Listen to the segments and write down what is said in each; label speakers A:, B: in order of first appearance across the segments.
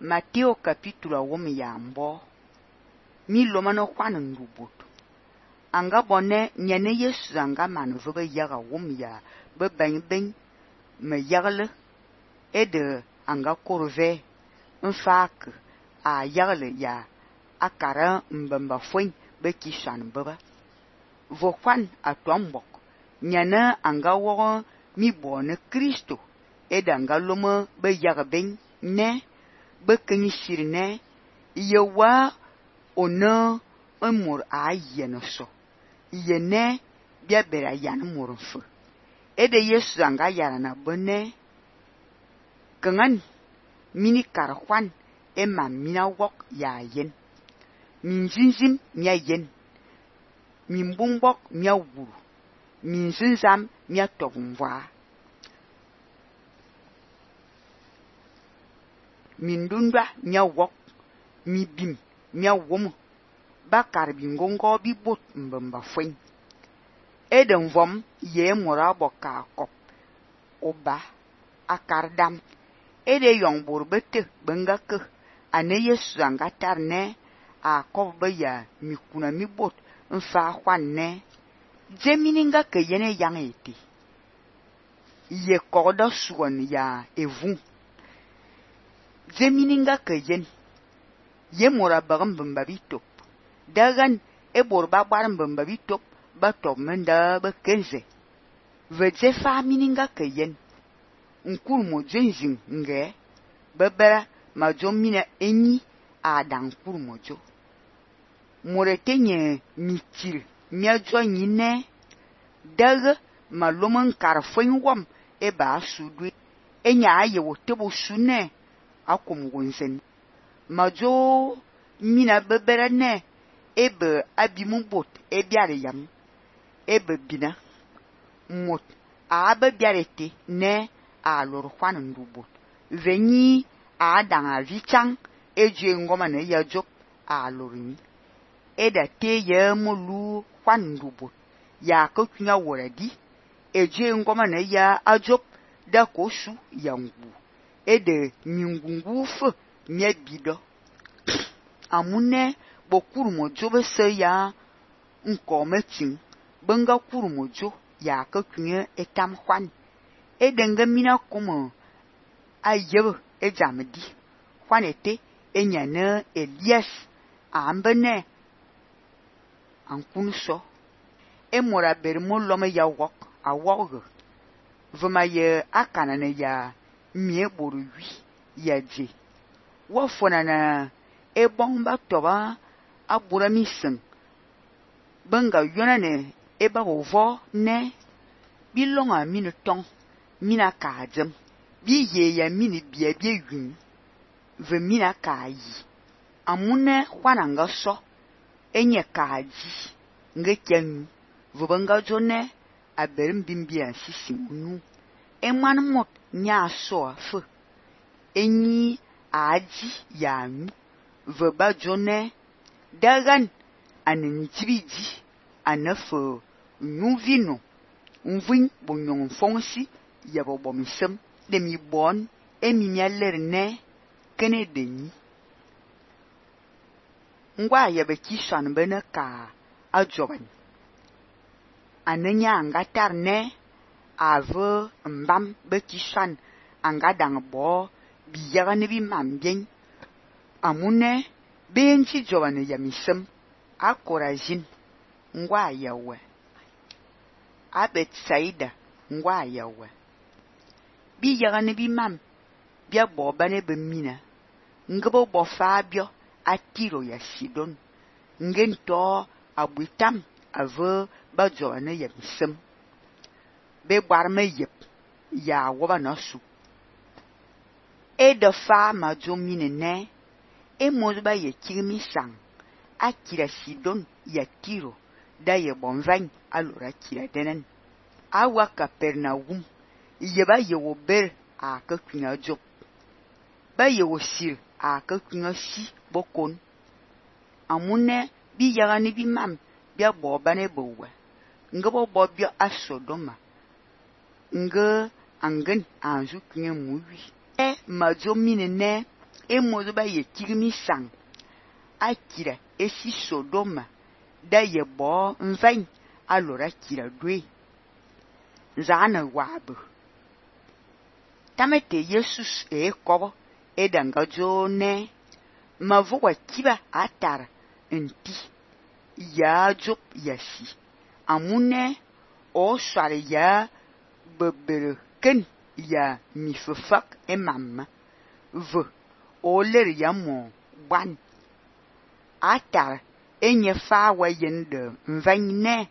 A: Mateo capítulo wom ya mbo. Mi loma no kwan ndubut. Anga bonne nyane Yesu anga man vebe yaga wom ya be ben me yagle ede anga korve mfak a yagle ya akara mbamba fwen be kishan beba. Vo kwan atombok nyane anga wo mi bone Kristo ede anga loma be yaga ben ne be kenyisir ne yewa ona emor a yene so yene bia bera yan mor mfu ede Yesu anga yara na bone kangan mini karkwan ema mina wok ya yen min zinzim mia yen min bumbok mia wuru min zinzam mia tobumwa min dundwa mia wok mi bim mia womu bakar bingongo bi bot mbamba fwen eden vom ye mora boka kop oba akardam ede yong borbete bengake ane Yesu anga tarne a kobe ya mikuna mi bot mfa kwanne jemininga ke yene yang eti ye koda suwan ya evun jemininga ke yen ye mora bagam bamba bitop dagan e borba baram bamba bitop ba top menda ba kenze veje famininga ke yen nkul mo jenjin nge bebera ma jomina enyi adan kul mojo moretenye mitir miajo nyine dag malomon karfon wom e ba sudu enya aye wotebo sune akom wonsen majo mina bebera ne ebe abimu bot e biare yam ebe bina mot abe biarete ne a lor kwan ndubot venyi a danga vichang eje ngoma ne ya jop a lorini eda te ye molu kwan ndubot ya ko kunya woradi eje ngoma ne ya ajop da kosu yangu ede mingungu fu mie bido amune bokuru mojo be se ya nkometin benga kuru mojo ya ko kunya etam kwan edenga mina komo ayebe ejamedi kwanete enyane Elias ambene ankunu so emora bermo lome ya wok awog vema ye akana ne ya mie boru wi ya je wo fona na ebomba toba abura misen benga yona ne eba ovo ne bilonga minu tong mina kajem bi ye ya mini bia bia yun ve mina kayi amune kwananga so enye kaji nge kyen vubanga jone aberim bimbia sisi unu eman mot nya so fu enyi aji yanu veba jone dagan anintibiji anafo nuvino nvin bonyon fonsi yabo bomisem demi bon emi mialerne kene deni ngwa yabe kishan bene ka ajoban ananya angatar ne ave mbam be kishan anga dang bo biyaga ne bi mambien amune benchi joban yamisem akorajin ngwa yawe abet saida ngwa yawe bi yaga ne bi mam bia bo bane be mina ngebo bo fabio atiro ya Sidon ngento abuitam ave bajo ne yemsem be gwarme yep ya woba nasu e de fa ma jo mine ne e mozba ye kirmi sang akira Sidon ya tiro da ye bonvan alora kira denen awa Kapernaum yeba ye wo ber a ka kunya job ba ye wo sir a ka kunya si bokon amune bi yaga ni bi mam bia bo bane bowa ngabo bo bia asodoma nge angen anju kunya muwi e majo mine ne Emodo ba ye tigmi sang. Akira esi Sodoma. Da ye bo mvain alora kira dwe. Zana wabu. Tamete Jesus kobo edanga jone. Mavuwa kiba atara nti. Ya jop yasi. Amune o sware ya bebere ya mifefak mamma. O ler ya mo ban. Atara enye fa wa yende mvane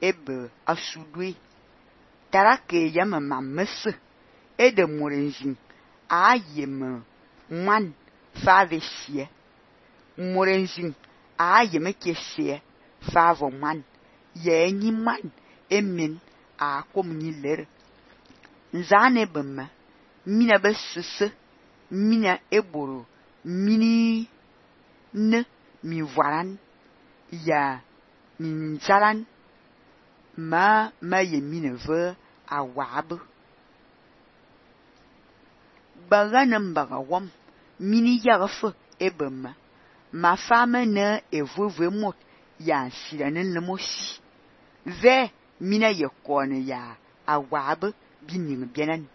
A: ebe asudwe. Tarake ya mamma se. Ede morenjin a yeme man fa vesie. Morenjin a yeme kesie fa vo man. Ye ni man emin a kom ni ler. Nzane bema mina besese mina eboro mini ne mi varan ya mi nzaran ma ye mine ve a wab. Baganem bagawam mini yagafe ebema ma femme ne evuve mot ya siranen le mosi. Ve mina ye kone ya a wab bining bienen.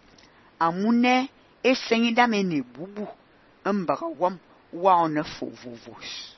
A: Amune esenyi dame ne bubu. Bagawam wa one fovovos.